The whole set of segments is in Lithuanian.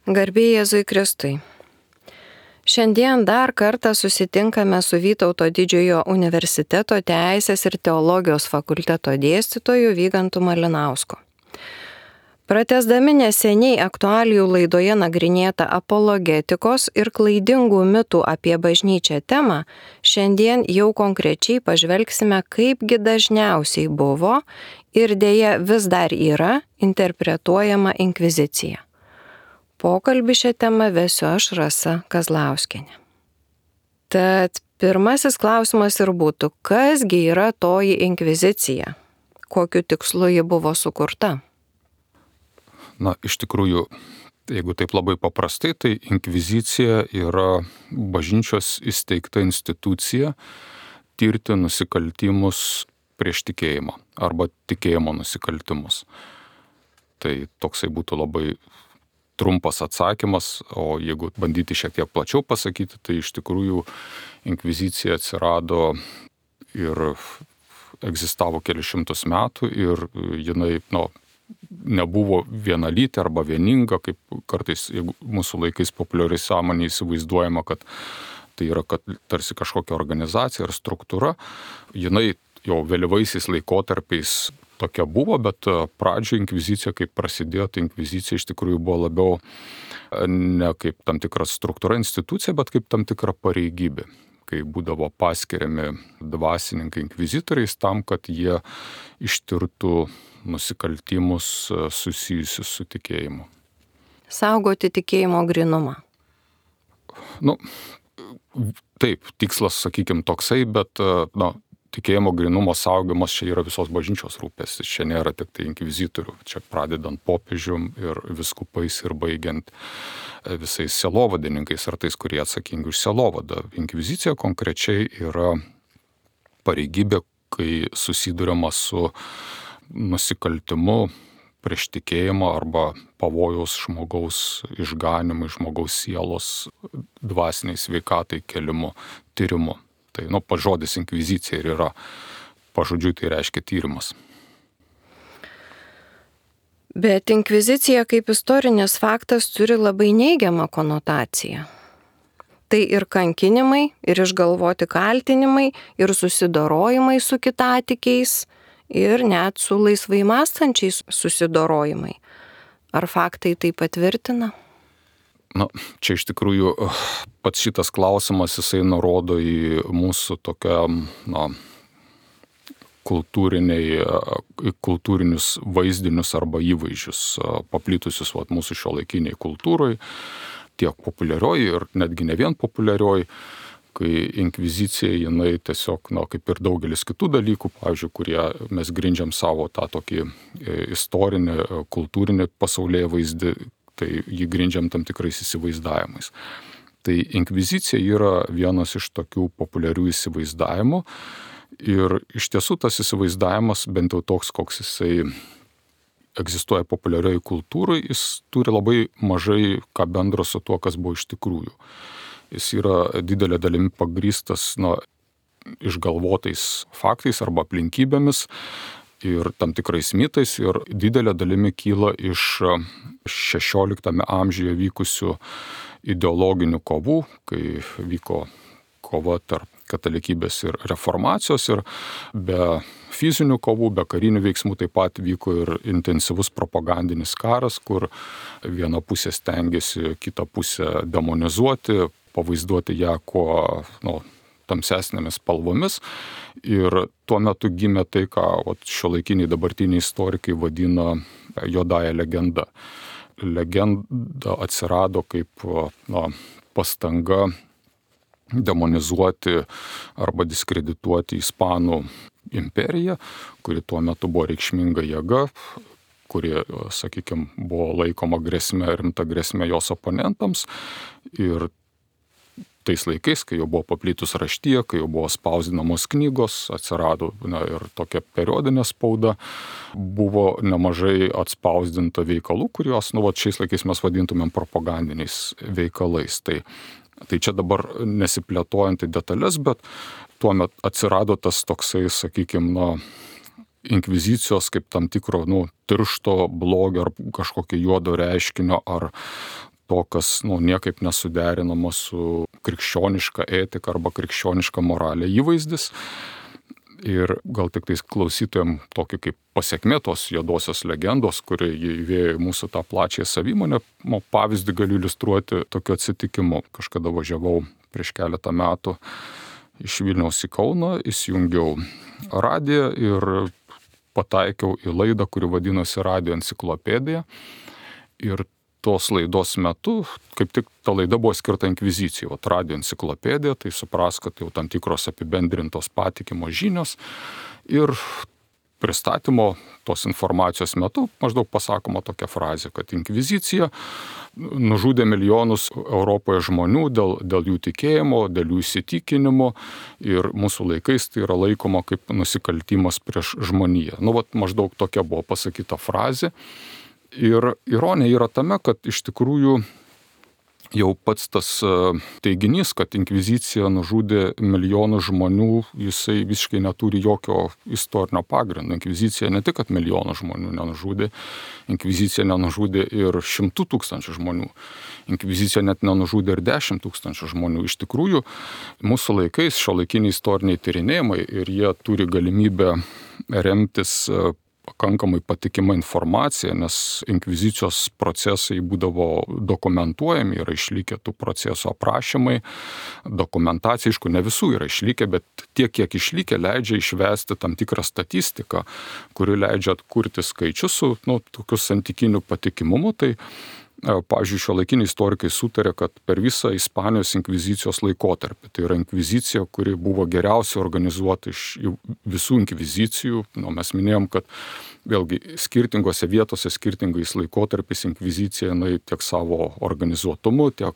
Garbė Jėzui Kristui. Šiandien dar kartą susitinkame su Vytauto didžiojo universiteto Teisės ir teologijos fakulteto dėstytoju Vygantu Malinausku. Pratęsdami neseniai aktualijų laidoje nagrinėtą apologetikos ir klaidingų mitų apie bažnyčią temą, šiandien jau konkrečiai pažvelgsime, kaipgi dažniausiai buvo ir dėja vis dar yra interpretuojama inkvizicija. Pokalbį šią temą vesiu aš, Rasa Kazlauskienė. Tad pirmasis klausimas ir būtų, kasgi yra toji inkvizicija? Kokiu tikslu ji buvo sukurta? Iš tikrųjų, jeigu taip labai paprastai, tai inkvizicija yra bažnyčios įsteigta institucija tirti nusikaltimus prieš tikėjimą arba tikėjimo nusikaltimus. Tai toksai būtų labai trumpas atsakymas, o jeigu bandyti šiek tiek plačiau pasakyti, tai iš tikrųjų inkvizicija atsirado ir egzistavo kelius šimtus metų ir jinai, nebuvo vienalytė arba vieninga, kaip kartais mūsų laikais populiariai sąmonėje įsivaizduojama, kad tai yra tarsi kažkokia organizacija ar struktūra. Jinai jau vėlyvaisiais laikotarpiais tokia buvo, bet pradžioje inkvizicija, kaip prasidėjo, tai inkvizicija iš tikrųjų buvo labiau ne kaip tam tikra struktūra, institucija, bet kaip tam tikra pareigybė, kai būdavo paskiriami dvasininkai inkvizitoriais tam, kad jie ištirtų nusikaltimus susijusius su tikėjimu. Saugoti tikėjimo grynumą. Taip, tikslas, sakykime, toksai, bet tikėjimo grynumo saugojimas čia yra visos bažnyčios rūpestis. Čia nėra tik tai inkvizitorių, čia pradedant popiežium ir viskupais ir baigiant visais sielovadininkais ar tais, kurie atsakingi už sielovadą. Inkvizicija konkrečiai yra pareigybė, kai susiduriama su nusikaltimu prieš tikėjimą arba pavojaus žmogaus išganimui, žmogaus sielos dvasiniai sveikatai kelimu, tyrimu. Tai pats žodis inkvizicija ir yra, pažodžiui tai reiškia tyrimas. Bet inkvizicija kaip istorinis faktas turi labai neigiamą konotaciją. Tai ir kankinimai, ir išgalvoti kaltinimai, ir susidorojimai su kitatikiais, ir net su laisvai mąstančiais susidorojimai. Ar faktai tai patvirtina? Čia iš tikrųjų pats šitas klausimas, jisai nurodo į mūsų tokią, kultūrinius vaizdinius arba įvaizdžius paplitusius mūsų šiuolaikiniai kultūrai, tiek populiarioji ir netgi ne vien populiarioji, kai inkvizicija jinai tiesiog, kaip ir daugelis kitų dalykų, pavyzdžiui, kurie mes grindžiam savo tą tokį istorinį, kultūrinį pasaulyje vaizdį, tai jį grindžiam tam tikrais įsivaizdavimais. Tai inkvizicija yra vienas iš tokių populiarių įsivaizdavimų ir iš tiesų tas įsivaizdavimas, bent jau toks, koks jisai egzistuoja populiarioje kultūroje, jis turi labai mažai ką bendro su tuo, kas buvo iš tikrųjų. Jis yra didelė dalimi pagrįstas išgalvotais faktais arba aplinkybėmis ir tam tikrais mitais ir didelė dalimi kyla iš 16 amžiuje vykusių ideologinių kovų, kai vyko kova tarp katalikybės ir reformacijos ir be fizinių kovų, be karinių veiksmų taip pat vyko ir intensyvus propagandinis karas, kur viena pusė stengiasi kitą pusę demonizuoti, pavaizduoti ją kuo tamsesnėmis spalvomis. Ir tuo metu gimė tai, ką šiuolaikiniai dabartiniai istorikai vadina juodąja legenda. Legenda atsirado kaip pastanga demonizuoti arba diskredituoti Ispanų imperiją, kuri tuo metu buvo reikšminga jėga, kuri, sakykime, buvo laikoma rimta grėsmė jos oponentams. Ir tais laikais, kai jau buvo paplitus raštija, kai jau buvo spausdinamos knygos, atsirado ir tokia periodinė spauda, buvo nemažai atspausdinta veikalų, kuriuos šiais laikais mes vadintumėm propagandiniais veikalais. Tai čia dabar nesiplėtojant į detalės, bet tuomet atsirado tas toksai, sakykime, inkvizicijos kaip tam tikro tiršto blogio ar kažkokio juodo reiškinio ar to, kas niekaip nesuderinama su krikščioniška etika arba krikščioniška moralė įvaizdis. Ir gal tik tais klausytojams tokį kaip pasiekmė tos juodosios legendos, kuri įvėjo į mūsų tą plačią savimonę, pavyzdį galiu iliustruoti tokiu atsitikimu. Kažkada važiavau prieš keletą metų iš Vilniaus į Kauną, įsijungiau radiją ir pataikiau į laidą, kuri vadinosi Radijo enciklopedija. Ir tos laidos metu, kaip tik ta laida buvo skirta inkvizicijai, Radijo enciklopedija, tai supras, kad jau tam tikros apibendrintos patikimos žinios. Ir pristatymo tos informacijos metu maždaug pasakoma tokia frazė, kad inkvizicija nužudė milijonus Europoje žmonių dėl jų tikėjimo, dėl jų įsitikinimo ir mūsų laikais tai yra laikoma kaip nusikaltimas prieš žmoniją. Maždaug tokia buvo pasakyta frazė. Ir ironija yra tame, kad iš tikrųjų jau pats tas teiginys, kad inkvizicija nužudė milijonų žmonių, jisai visiškai neturi jokio istorinio pagrindo. Inkvizicija ne tik, kad milijonų žmonių nenužudė, inkvizicija nenužudė ir 100 000 žmonių. Inkvizicija net nenužudė ir 10 000 žmonių. Iš tikrųjų, mūsų laikais šiuolaikiniai istoriniai tyrinėjimai ir jie turi galimybę remtis pakankamai patikima informacija, nes inkvizicijos procesai būdavo dokumentuojami, yra išlikę tų procesų aprašymai, dokumentacija, aišku, ne visų yra išlikę, bet tiek, kiek išlikę, leidžia išvesti tam tikrą statistiką, kuri leidžia atkurti skaičius su tokiu santykiniu patikimumu. Tai pavyzdžiui, šiuolaikiniai istorikai sutarė, kad per visą Ispanijos inkvizicijos laikotarpį, tai yra inkvizicija, kuri buvo geriausiai organizuota iš visų inkvizicijų. Mes minėjom, kad vėlgi skirtingose vietose, skirtingais laikotarpiais inkvizicija tiek savo organizuotumu, tiek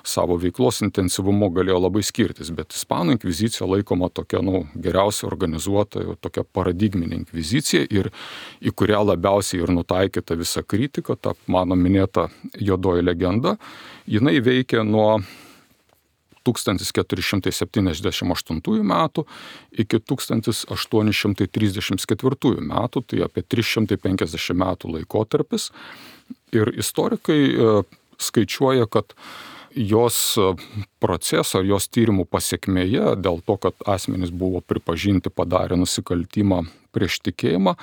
savo veiklos intensyvumu galėjo labai skirtis, bet Ispanų inkvizicija laikoma tokia geriausiai organizuota, tokia paradigminė inkvizicija ir į kurią labiausiai ir nutaikyta visa kritika, ta mano minėta juodoji legenda, jinai veikia nuo 1478 metų iki 1834 metų, tai apie 350 metų laikotarpis. Ir istorikai skaičiuoja, kad jos proceso, jos tyrimų pasiekmėje, dėl to, kad asmenys buvo pripažinti padarę nusikaltimą prieš tikėjimą,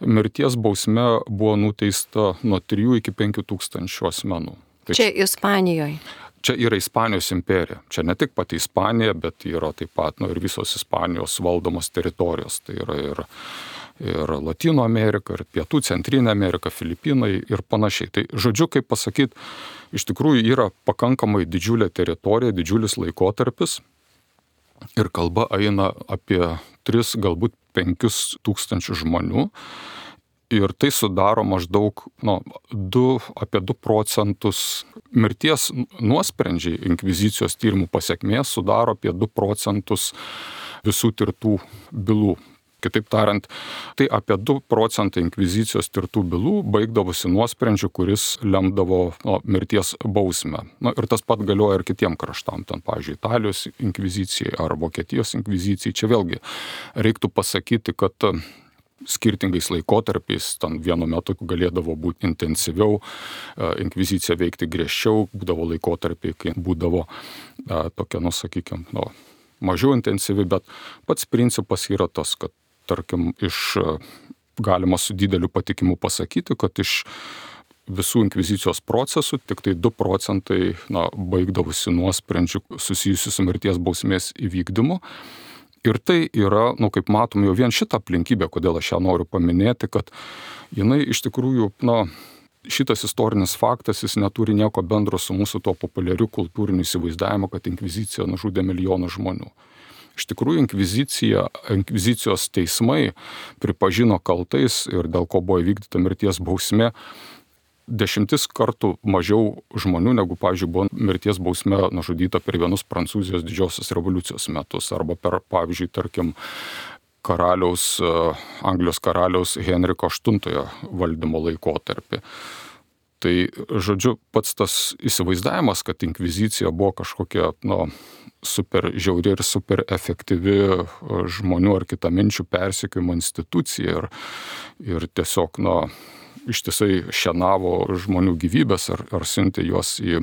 mirties bausme buvo nuteista nuo 3 iki 5 tūkstančių asmenų. Čia Ispanijoje. Čia yra Ispanijos imperija. Čia ne tik pati Ispanija, bet yra taip pat ir visos Ispanijos valdomos teritorijos. Tai yra ir Latino Amerika, ir Pietų Centrinė Amerika, Filipinai ir panašiai. Tai žodžiu, kaip pasakyti, iš tikrųjų yra pakankamai didžiulė teritorija, didžiulis laikotarpis. Ir kalba eina apie 3, galbūt 5 tūkstančių žmonių. Ir tai sudaro maždaug apie 2 procentus mirties nuosprendžiai inkvizicijos tyrimų pasiekmės sudaro apie 2 procentus visų tirtų bylų. Kitaip tariant, tai apie 2 procentai inkvizicijos tirtų bylų baigdavosi nuosprendžiu, kuris lemdavo mirties bausmę. Ir tas pat galioja ir kitiem kraštam, ten, pavyzdžiui, Italijos inkvizicijai ar Vokietijos inkvizicijai. Čia vėlgi reiktų pasakyti, kad skirtingais laikotarpiais, ten vienu metu galėdavo būti intensyviau, inkvizicija veikti griežčiau, būdavo laikotarpiai, kai būdavo tokia, mažiau intensyvi, bet pats principas yra tas, kad, tarkim, galima su dideliu patikimu pasakyti, kad iš visų inkvizicijos procesų tik tai 2 procentai baigdavosi nuosprendžiu susijusiu su mirties bausmės įvykdymu. Ir tai yra, kaip matom, jau vien šitą aplinkybę, kodėl aš ją noriu paminėti, kad jinai iš tikrųjų, šitas istorinis faktas, jis neturi nieko bendro su mūsų to populiariu kultūriniu įsivaizdavimu, kad inkvizicija nužudė milijonų žmonių. Iš tikrųjų, inkvizicijos teismai pripažino kaltais ir dėl ko buvo įvykdyta mirties bausmė 10 kartų mažiau žmonių, negu, pavyzdžiui, buvo mirties bausme nužudyta per vienus Prancūzijos didžiosios revoliucijos metus, arba per, pavyzdžiui, tarkim, Anglijos karaliaus Henriko VIII valdymo laikotarpį. Tai, žodžiu, pats tas įsivaizdavimas, kad inkvizicija buvo kažkokia, super žiauri ir super efektyvi žmonių ar kitaminčių persekiojimo institucija ir tiesiog, ištisai šienavo žmonių gyvybės ar siuntė juos į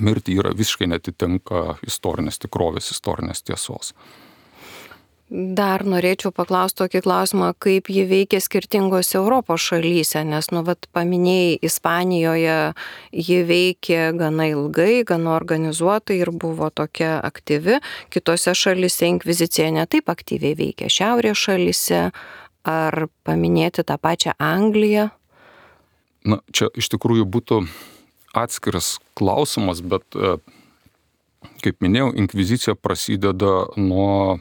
mirtį, yra visiškai netitinka istorinės tikrovės, istorinės tiesos. Dar norėčiau paklausti tokį klausimą, kaip ji veikia skirtingose Europos šalyse, nes, paminėjai, Ispanijoje ji veikė gana ilgai, gana organizuotai ir buvo tokia aktyvi. Kitose šalyse inkvizicija netaip aktyviai veikia. Šiaurės šalyse, ar paminėti tą pačią Angliją? Na, čia iš tikrųjų būtų atskiras klausimas, bet, kaip minėjau, inkvizicija prasideda nuo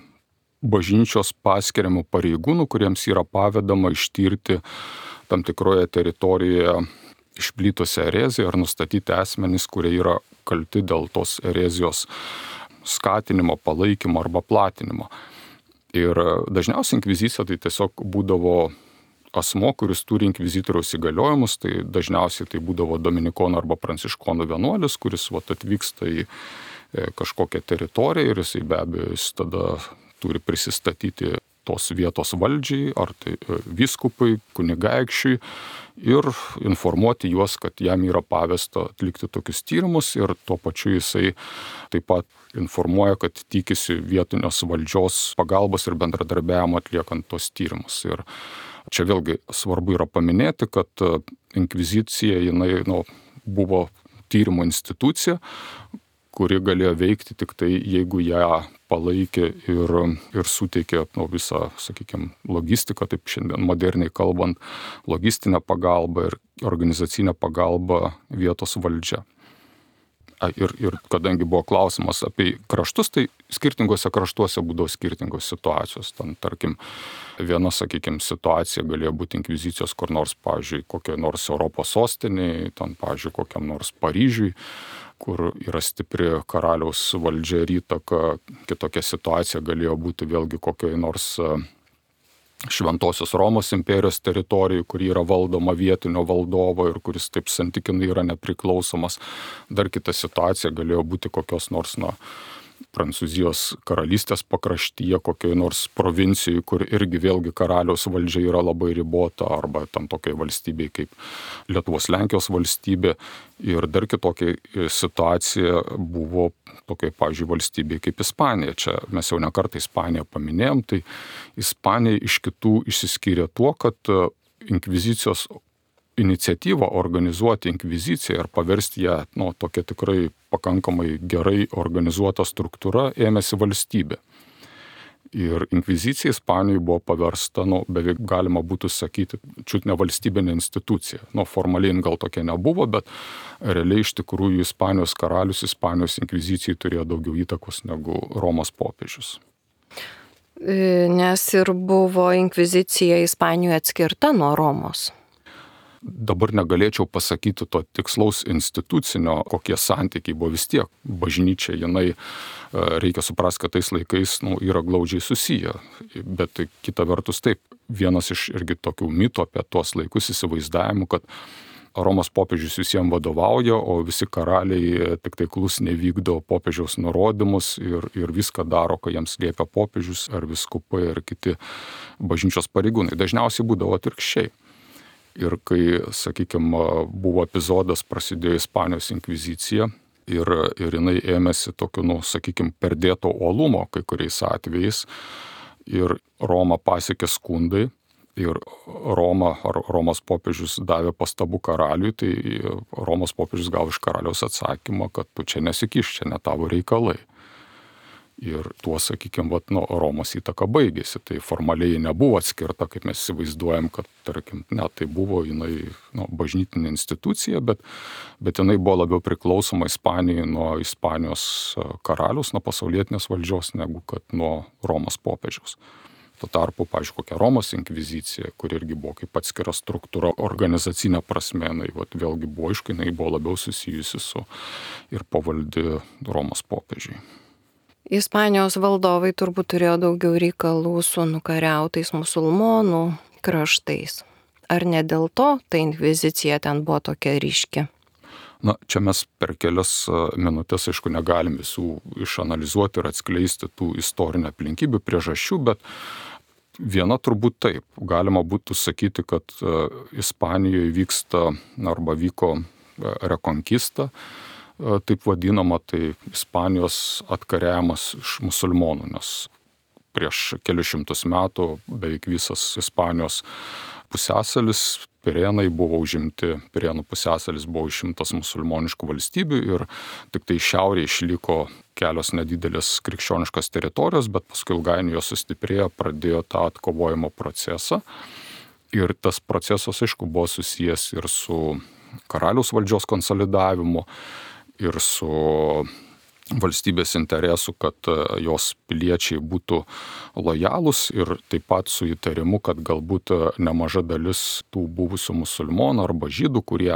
bažnyčios paskiriamų pareigūnų, kuriems yra pavedama ištirti tam tikroje teritorijoje išplitusią ereziją ar nustatyti asmenys, kurie yra kalti dėl tos erezijos skatinimo, palaikymo arba platinimo. Ir dažniausiai inkvizicija tai tiesiog būdavo asmo, kuris turi inkvizitoriaus įgaliojimus, tai dažniausiai tai būdavo dominikonų arba pranciškonų vienuolis, kuris atvyksta į kažkokią teritoriją ir jisai be abejo jis tada turi prisistatyti tos vietos valdžiai, ar tai vyskupai, kunigaikščiui ir informuoti juos, kad jam yra pavesta atlikti tokius tyrimus ir tuo pačiu jisai taip pat informuoja, kad tikisi vietinės valdžios pagalbos ir bendradarbiavimo atliekant tos tyrimus. Ir čia vėlgi svarbu yra paminėti, kad inkvizicija jinai buvo tyrimo institucija, kuri galėjo veikti tik tai, jeigu ją palaikė ir suteikė visą, sakykime, logistiką, taip šiandien moderniai kalbant, logistinę pagalbą ir organizacinę pagalbą vietos valdžia. Ir kadangi buvo klausimas apie kraštus, tai skirtingose kraštuose būdavo skirtingos situacijos. Ten, tarkim, viena, sakykime, situacija galėjo būti inkvizicijos kur nors, pavyzdžiui, kokiai nors Europos sostinėje, ten, pavyzdžiui, kokiam nors Paryžiui, kur yra stipri karaliaus valdžia ir įtaka. Kitokia situacija galėjo būti vėlgi kokiai nors Šventosios Romos imperijos teritorijų, kur yra valdoma vietinio valdovo ir kuris taip santykinai yra nepriklausomas. Dar kita situacija galėjo būti kokios nors Prancūzijos karalystės pakraštyje, kokioj nors provincijai, kur irgi vėlgi karaliaus valdžia yra labai ribota, arba tam tokiai valstybei kaip Lietuvos Lenkijos valstybė. Ir dar kitokia situacija buvo tokiai, pavyzdžiui, valstybei kaip Ispanija. Čia mes jau nekartą Ispaniją paminėjom, tai Ispanija iš kitų išsiskyrė tuo, kad inkvizicijos iniciatyvą organizuoti inkviziciją ir paversti ją tokia tikrai pakankamai gerai organizuota struktūra ėmėsi valstybė. Ir inkvizicija Ispanijoje buvo paversta, beveik galima būtų sakyti, čiut ne valstybinė institucija. Formaliai gal tokia nebuvo, bet realiai iš tikrųjų Ispanijos karalius Ispanijos inkvizicijai turėjo daugiau įtakos negu Romos popiežius. Nes ir buvo inkvizicija Ispanijoje atskirta nuo Romos. Dabar negalėčiau pasakyti to tikslaus institucinio, kokie santykiai buvo. Vis tiek bažnyčia, jinai, reikia suprasti, kad tais laikais yra glaudžiai susiję. Bet kita vertus taip, vienas iš irgi tokių mitų apie tuos laikus įsivaizdavimų, kad Romos popiežius visiems vadovauja, o visi karaliai tik tai klusniai vykdo popiežiaus nurodymus ir viską daro, ką jiems liepia popiežius ar viskupai ar kiti bažnyčios pareigūnai. Dažniausiai būdavo atvirkščiai. Ir kai, sakykime, buvo epizodas, prasidėjo Ispanijos inkvizicija ir jinai ėmėsi tokio, sakykime, perdėto uolumo kai kuriais atvejais ir Romą pasiekė skundai ir Romos popiežius davė pastabų karaliui, tai Romos popiežius gavo iš karaliaus atsakymą, kad tu čia nesikiš, čia ne tavo reikalai. Ir tuo, sakykime, Romos įtaka baigėsi. Tai formaliai nebuvo atskirta, kaip mes įsivaizduojam, kad, tarkim, tai buvo jinai bažnytinė institucija, bet jinai buvo labiau priklausoma Ispanijai nuo Ispanijos karalius, nuo pasaulietinės valdžios, negu kad nuo Romos popiežiaus. Tuo tarpu, pavyzdžiui, kokia Romos inkvizicija, kur irgi buvo kaip atskira struktūra, organizacinė prasme, vėlgi buvo aišku, jinai buvo labiau susijusi su ir pavaldi Romos popiežiai. Ispanijos valdovai turbūt turėjo daugiau reikalų su nukariautais musulmonų kraštais. Ar ne dėl to ta inkvizicija ten buvo tokia ryški? Čia mes per kelias minutės, aišku, negalim visų išanalizuoti ir atskleisti tų istorinių aplinkybių, priežasčių, bet Viena turbūt taip. Galima būtų sakyti, kad Ispanijoje vyksta arba vyko rekonkista, taip vadinama, tai Ispanijos atkariavimas iš musulmonų, nes prieš kelius šimtus metų beveik visas Ispanijos pusiasalis, Pirėnai buvo užimti, Pirėnų pusiasalis buvo užimtas musulmoniškų valstybių ir tik tai šiaurėje išliko kelios nedidelės krikščioniškos teritorijos, bet paskui ilgainiui jos sustiprėjo, pradėjo tą atkovojimo procesą. Ir tas procesas, aišku, buvo susijęs ir su karaliaus valdžios konsolidavimu, ir su valstybės interesų, kad jos piliečiai būtų lojalūs ir taip pat su įtarimu, kad galbūt nemaža dalis tų buvusių musulmonų arba žydų, kurie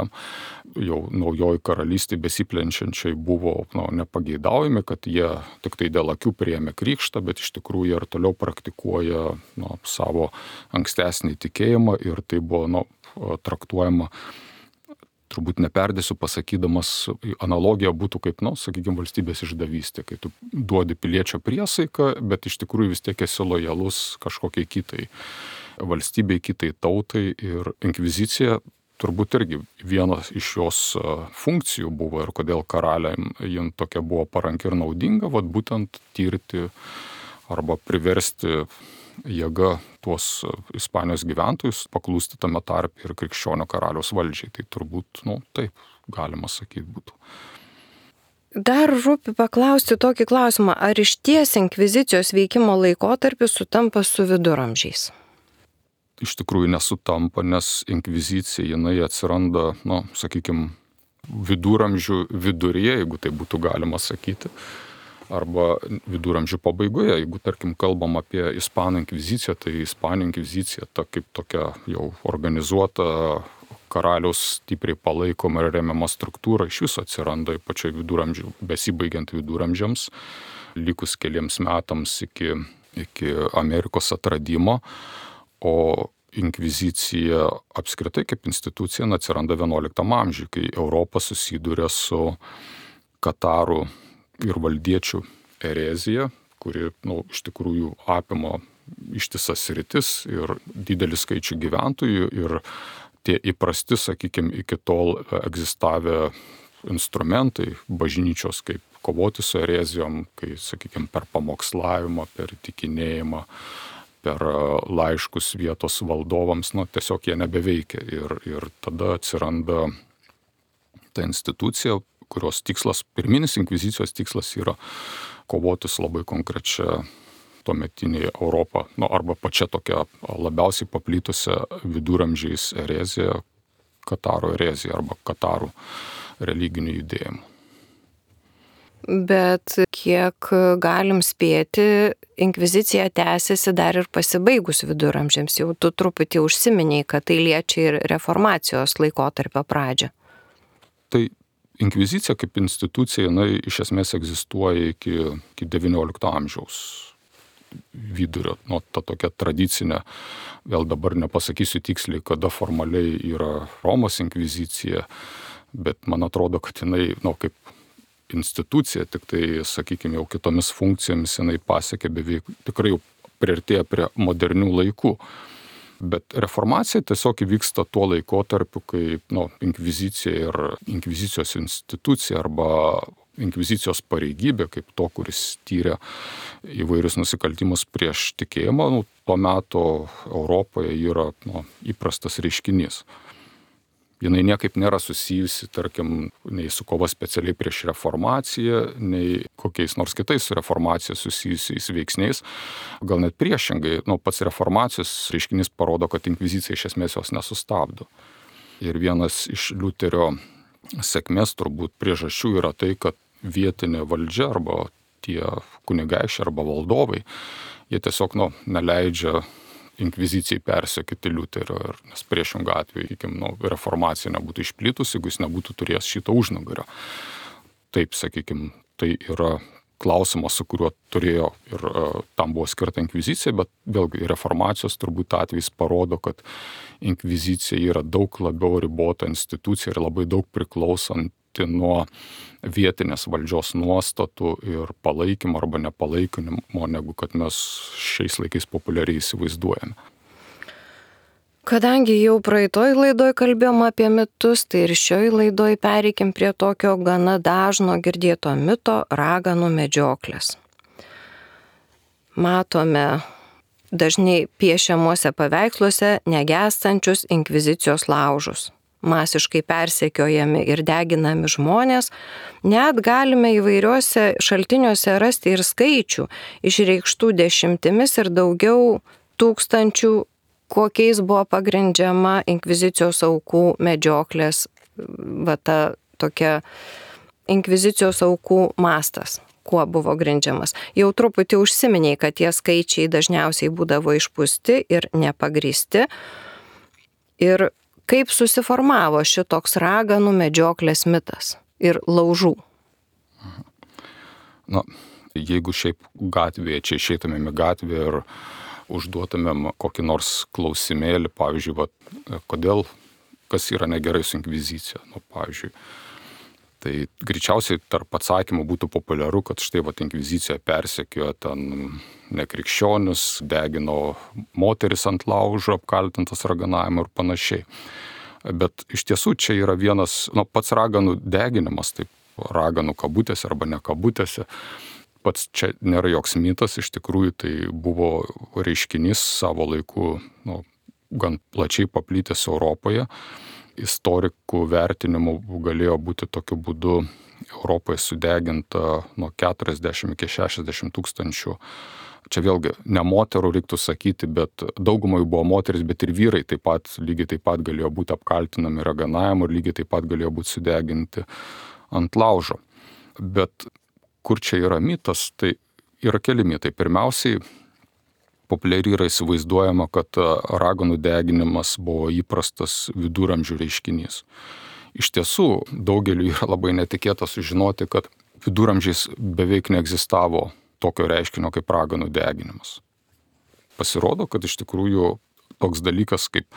jau naujoji karalystė besiplenčiančiai buvo nepageidaujami, kad jie tik tai dėl akių priėmė krikštą, bet iš tikrųjų ir toliau praktikuoja savo ankstesnį tikėjimą ir tai buvo traktuojama. Turbūt neperdėsiu pasakydamas, analogija būtų kaip, sakykime, valstybės išdavystė, kai tu duodi piliečio priesaiką, bet iš tikrųjų vis tiek esi lojalus kažkokiai kitai valstybei, kitai tautai. Ir inkvizicija turbūt irgi vienas iš jos funkcijų buvo ir kodėl karaliam jin tokia buvo paranki ir naudinga, būtent tirti arba priversti jėga tuos Ispanijos gyventojus paklūsti tame tarpe ir krikščionio karaliaus valdžiai. Tai turbūt, taip galima sakyti būtų. Dar rūpi paklausti tokį klausimą, ar iš ties inkvizicijos veikimo laikotarpis sutampa su viduramžiais? Iš tikrųjų nesutampa, nes inkvizicija jinai atsiranda, sakykime, viduramžių viduryje, jeigu tai būtų galima sakyti. Arba viduramžių pabaigoje, jeigu, tarkim, kalbam apie Ispanų inkviziciją, tai Ispanų inkvizicija ta kaip tokia jau organizuota karaliaus stipriai palaikoma ir remiama struktūra iš viso atsiranda pačioj viduramžių, besibaigiant viduramžiams, likus keliems metams iki Amerikos atradimo, o inkvizicija apskritai kaip institucija atsiranda 11 amžiuje, kai Europa susiduria su katarų ir valdiečių erezija, kuri iš tikrųjų apima ištisas sritis ir didelį skaičių gyventojų ir tie įprasti, sakykime, iki tol egzistavę instrumentai bažnyčios, kaip kovoti su erezijom, kai, sakykime, per pamokslavimą, per įtikinėjimą, per laiškus vietos valdovams, tiesiog jie nebeveikia ir tada atsiranda ta institucija, kurios tikslas, pirminis inkvizicijos tikslas yra kovoti su labai konkrečia tuometinė Europa, arba pačia tokia labiausiai paplitusią viduramžiais erezija, Kataro erezija arba Katarų religinių judėjimų. Bet kiek galim spėti, inkvizicija tęsiasi dar ir pasibaigus viduramžiams. Jau tu truputį užsiminiai, kad tai liečia ir reformacijos laikotarpio pradžią. Tai inkvizicija kaip institucija, jinai iš esmės egzistuoja iki XIX amžiaus vidurio. Ta tokia tradicinė, vėl dabar nepasakysiu tiksliai, kada formaliai yra Romos inkvizicija, bet man atrodo, kad jinai, kaip institucija, tik tai, sakykime, jau kitomis funkcijomis jinai pasiekė beveik, tikrai jau priartėja prie modernių laikų. Bet reformacija tiesiog įvyksta tuo laikotarpiu, kai inkvizicija ir inkvizicijos institucija arba inkvizicijos pareigybė, kaip to, kuris tyrė įvairius nusikaltimus prieš tikėjimą, tuo metu Europoje yra įprastas reiškinys. Jinai niekaip nėra susijusi, tarkim, nei su kova specialiai prieš reformaciją, nei kokiais nors kitais su reformacija susijusiais veiksniais. Gal net priešingai, pats reformacijos reiškinys parodo, kad inkvizicija iš esmės jos nesustabdo. Ir vienas iš Liuterio sėkmės turbūt priežasčių yra tai, kad vietinė valdžia arba tie kunigaikščiai arba valdovai, jie tiesiog neleidžia inkvizicijai persekioti Liuterio, nes priešingą atveju, reformacija nebūtų išplitusi, jeigu jis nebūtų turėjęs šito užnugario. Taip, sakykime, tai yra klausimas, su kuriuo turėjo ir tam buvo skirta inkvizicija, bet vėlgi reformacijos turbūt atvejs parodo, kad inkvizicija yra daug labiau ribota institucija ir labai daug priklausanti priklausyti nuo vietinės valdžios nuostatų ir palaikymo arba nepalaikymo, negu kad mes šiais laikais populiariai įsivaizduojame. Kadangi jau praeitoj laidoj kalbėjom apie mitus, tai ir šioj laidoj pereikim prie tokio gana dažno girdėto mito raganų medžioklės. Matome dažnai piešiamuose paveiksluose negęstančius inkvizicijos laužus. Masiškai persekiojami ir deginami žmonės, net galime įvairiuose šaltiniuose rasti ir skaičių, išreikštų dešimtimis ir daugiau tūkstančių, kokiais buvo pagrindžiama inkvizicijos aukų medžioklės, ta tokia inkvizicijos aukų mastas, kuo buvo grindžiamas. Jau truputį užsiminiai, kad tie skaičiai dažniausiai būdavo išpūsti ir nepagrįsti. Ir kaip susiformavo šitoks raganų medžioklės mitas ir laužų? Na, jeigu šiaip gatvėje, čia išeitumėm į gatvę ir užduotumėm kokį nors klausimėlį, pavyzdžiui, kas yra negerai su inkvizicija, pavyzdžiui, tai greičiausiai tarp atsakymų būtų populiaru, kad štai inkvizicija persekiojo ten nekrikščionius, degino moteris ant laužo, apkaltintas raganavimu ir panašiai. Bet iš tiesų čia yra vienas, pats raganų deginimas, taip raganų kabutėse arba ne kabutėse, pats čia nėra joks mitas, iš tikrųjų tai buvo reiškinys savo laiku gan plačiai paplitęs Europoje. Istorikų vertinimu galėjo būti tokiu būdu Europoje sudeginta nuo 40 iki 60 tūkstančių. Čia vėlgi ne moterų reiktų sakyti, bet daugumai buvo moteris, bet ir vyrai lygiai taip pat galėjo būti apkaltinami raganavimu ir lygiai taip pat galėjo būti sudeginti ant laužo. Bet kur čia yra mitas, tai yra keli mitai. Pirmiausiai, populiariai yra įsivaizduojama, kad raganų deginimas buvo įprastas viduramžių reiškinys. Iš tiesų, daugeliu yra labai netikėta sužinoti, kad viduramžiais beveik neegzistavo tokio reiškinio kaip raganų deginimas. Pasirodo, kad iš tikrųjų toks dalykas kaip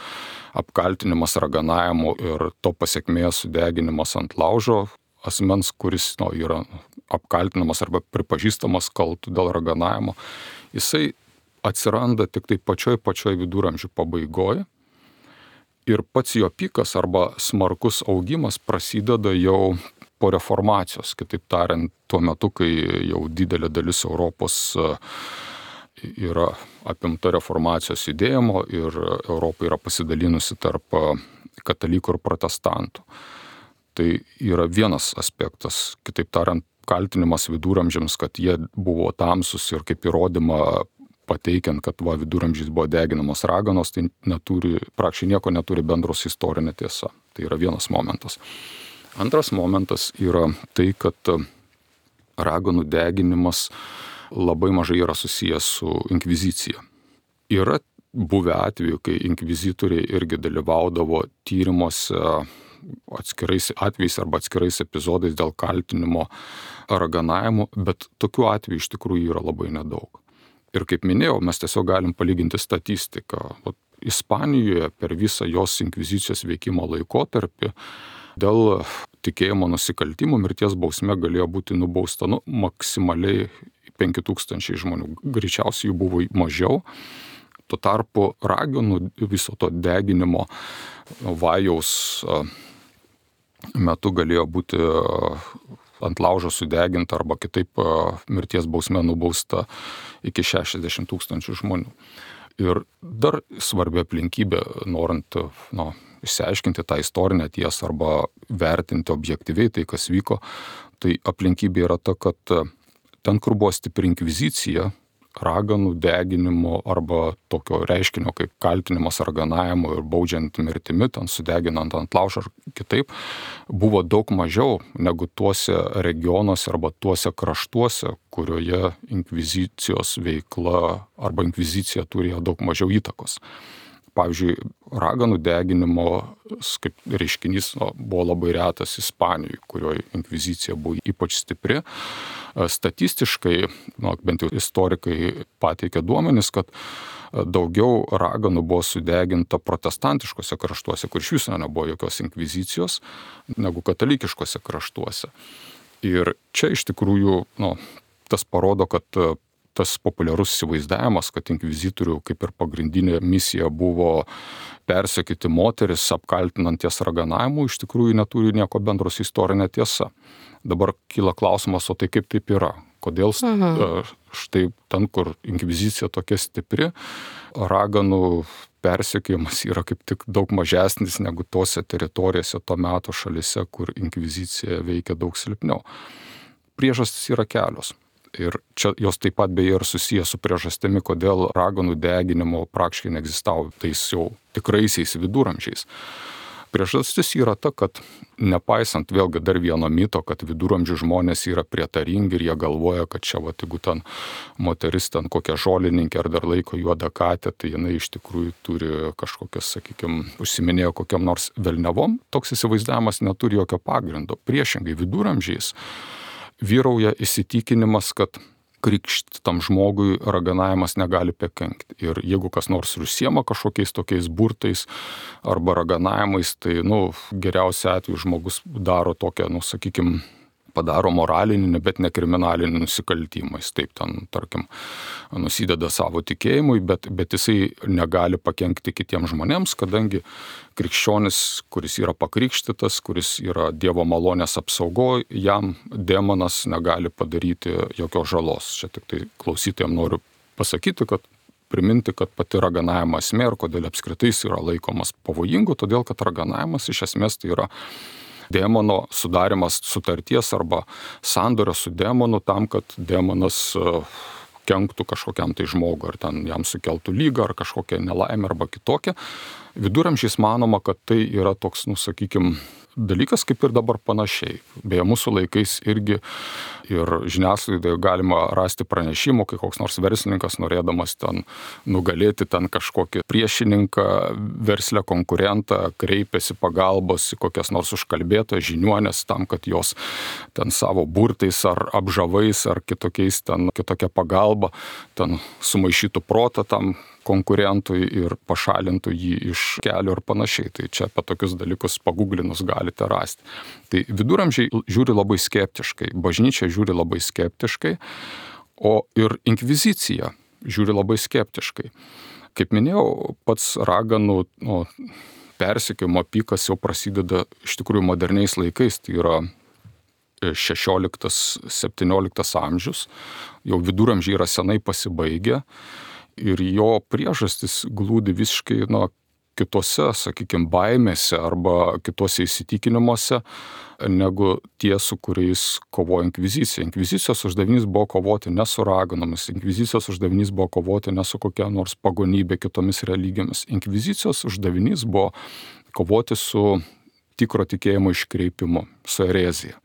apkaltinimas raganavimu ir to pasekmės sudeginimas ant laužo asmens, kuris yra apkaltinamas arba pripažįstamas kaltu dėl raganavimo, jisai atsiranda tik tai pačioj viduramžių pabaigoje ir pats jo pikas arba smarkus augimas prasideda jau po reformacijos, kitaip tariant, tuo metu, kai jau didelė dalis Europos yra apimta reformacijos judėjimo ir Europa yra pasidalinusi tarp katalikų ir protestantų. Tai yra vienas aspektas, kitaip tariant, kaltinimas viduramžiams, kad jie buvo tamsus ir kaip įrodymą pateikiant, kad viduramžiais buvo deginamos raganos, tai praktiškai nieko neturi bendro su istorinė tiesa. Tai yra vienas momentas. Antras momentas yra tai, kad raganų deginimas labai mažai yra susijęs su inkvizicija. Yra buvę atveju, kai inkvizitoriai irgi dalyvaudavo tyrimuose atskirais atvejais arba atskirais epizodais dėl kaltinimo raganavimu, bet tokių atvejų iš tikrųjų yra labai nedaug. Ir kaip minėjau, mes tiesiog galim palyginti statistiką. Ispanijoje per visą jos inkvizicijos veikimo laikotarpį dėl tikėjimo nusikaltimų mirties bausme galėjo būti nubausta maksimaliai 5000 žmonių. Greičiausiai jų buvo mažiau. Tuo tarpu raganų viso to deginimo vajaus metu galėjo būti ant laužo sudeginta arba kitaip mirties bausme nubausta iki 60 000 žmonių. Ir dar svarbi aplinkybė, norint išsiaiškinti tą istorinę tiesą arba vertinti objektyviai tai, kas vyko, tai aplinkybė yra ta, kad ten, kur buvo stipri inkvizicija, raganų deginimo arba tokio reiškinio kaip kaltinimas raganavimu ir baudžiant mirtimi, ten sudeginant ant laužo ar kitaip, buvo daug mažiau negu tuose regionuose arba tuose kraštuose, kurioje inkvizicijos veikla arba inkvizicija turėjo daug mažiau įtakos. Pavyzdžiui, raganų deginimo kaip reiškinys buvo labai retas Ispanijoje, kurioje inkvizicija buvo ypač stipri. Statistiškai, bent jau istorikai pateikia duomenis, kad daugiau raganų buvo sudeginta protestantiškose kraštuose, kur iš viso nebuvo jokios inkvizicijos, negu katalikiškose kraštuose. Ir čia iš tikrųjų, tas parodo, kad tas populiarus įsivaizdavimas, kad inkvizitorių kaip ir pagrindinė misija buvo persekioti moteris, apkaltinant jas raganavimu, iš tikrųjų neturi nieko bendro su istorinė tiesa. Dabar kyla klausimas, o tai kaip taip yra? Kodėl štai ten, kur inkvizicija tokia stipri, raganų persekiojimas yra kaip tik daug mažesnis negu tose teritorijose to meto šalise, kur inkvizicija veikia daug silpniau. Priežastys yra kelios. Ir čia jos taip pat beje ir susijęs su priežastimi, kodėl raganų deginimo praktiškai neegzistavo tais jau tikraisiais viduramžiais. Priežastis yra ta, kad nepaisant vėlgi dar vieno mito, kad viduramžių žmonės yra prietaringi ir jie galvoja, kad čia, jeigu ten moteris ten kokia žolininkė ar dar laiko juodą katę, tai jinai iš tikrųjų turi kažkokias, užsiminėjo kokiam nors velniavom, toks įsivaizdavimas neturi jokio pagrindo. Priešingai viduramžiais vyrauja įsitikinimas, kad krikštytam žmogui raganavimas negali pakenkti. Ir jeigu kas nors užsiema kažkokiais tokiais burtais arba raganavimais, tai, geriausia atveju žmogus daro tokią, padaro moralinį, bet ne kriminalinį nusikaltimą. Jis taip ten, tarkim, nusideda savo tikėjimui, bet jisai negali pakenkti kitiems žmonėms, kadangi krikščionis, kuris yra pakrikštytas, kuris yra Dievo malonės apsaugoje, jam demonas negali padaryti jokios žalos. Čia tik tai klausytojams noriu pasakyti, priminti, kad pati raganavimo esmė ir kodėl apskritai jis yra laikomas pavojingu, todėl kad raganavimas iš esmės tai yra demono sudarimas sutarties arba sandorio su demonu tam, kad demonas kenktų kažkokiam tai žmogui, ar ten jam sukeltų lygą, ar kažkokią nelaimę, arba kitokią. Viduramžiais manoma, kad tai yra toks, dalykas kaip ir dabar panašiai. Beje, mūsų laikais irgi ir žiniasklaidoje galima rasti pranešimų, kai koks nors verslininkas norėdamas ten nugalėti ten kažkokį priešininką, verslę konkurentą, kreipiasi pagalbos į kokias nors užkalbėtojas žiniuonės tam, kad jos ten savo burtais ar apžavais ar kitokia pagalba ten sumaišytų protą tam konkurentui ir pašalintų jį iš kelio ir panašiai. Tai čia apie tokius dalykus paguglinus galite rasti. Tai viduramžiai žiūri labai skeptiškai, bažnyčia žiūri labai skeptiškai, o ir inkvizicija žiūri labai skeptiškai. Kaip minėjau, pats raganų persekiojimo pikas jau prasideda iš tikrųjų moderniais laikais, tai yra 16-17 amžius, jau viduramžiai yra senai pasibaigę. Ir jo priežastis glūdi visiškai kitose, baimėse arba kitose įsitikinimuose, negu tie, su kuriais kovojo inkvizicija. Inkvizicijos uždavinys buvo kovoti ne su raganomis, inkvizicijos uždavinys buvo kovoti ne su kokia nors pagonybė kitomis religijomis. Inkvizicijos uždavinys buvo kovoti su tikro tikėjimo iškreipimu, su erezija.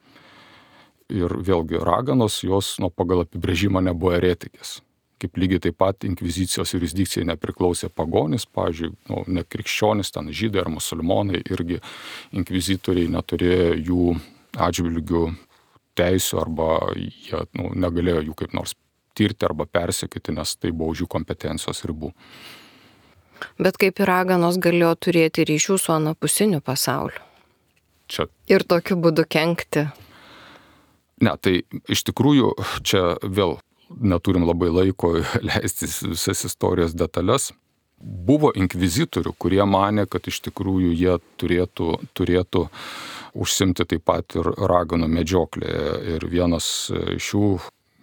Ir vėlgi raganos, jos pagal apibrėžimą nebuvo eretikės. Kaip lygiai taip pat inkvizicijos jurisdikcijai nepriklausė pagonis, pavyzdžiui, nekrikščionis, ten žydai ar musulmonai, irgi inkvizitoriai neturėjo jų atžvilgių teisių arba jie negalėjo jų kaip nors tirti arba persekioti, nes tai buvo už jų kompetencijos ribų. Bet kaip ir raganos galėjo turėti ryšių su anapusiniu pasauliu? Čia. Ir tokiu būdu kenkti? Ne, tai iš tikrųjų čia vėl neturim labai laiko leistis visas istorijos detalės. Buvo inkvizitorių, kurie manė, kad iš tikrųjų jie turėtų užsimti taip pat ir raganų medžioklėje. Ir vienas iš jų,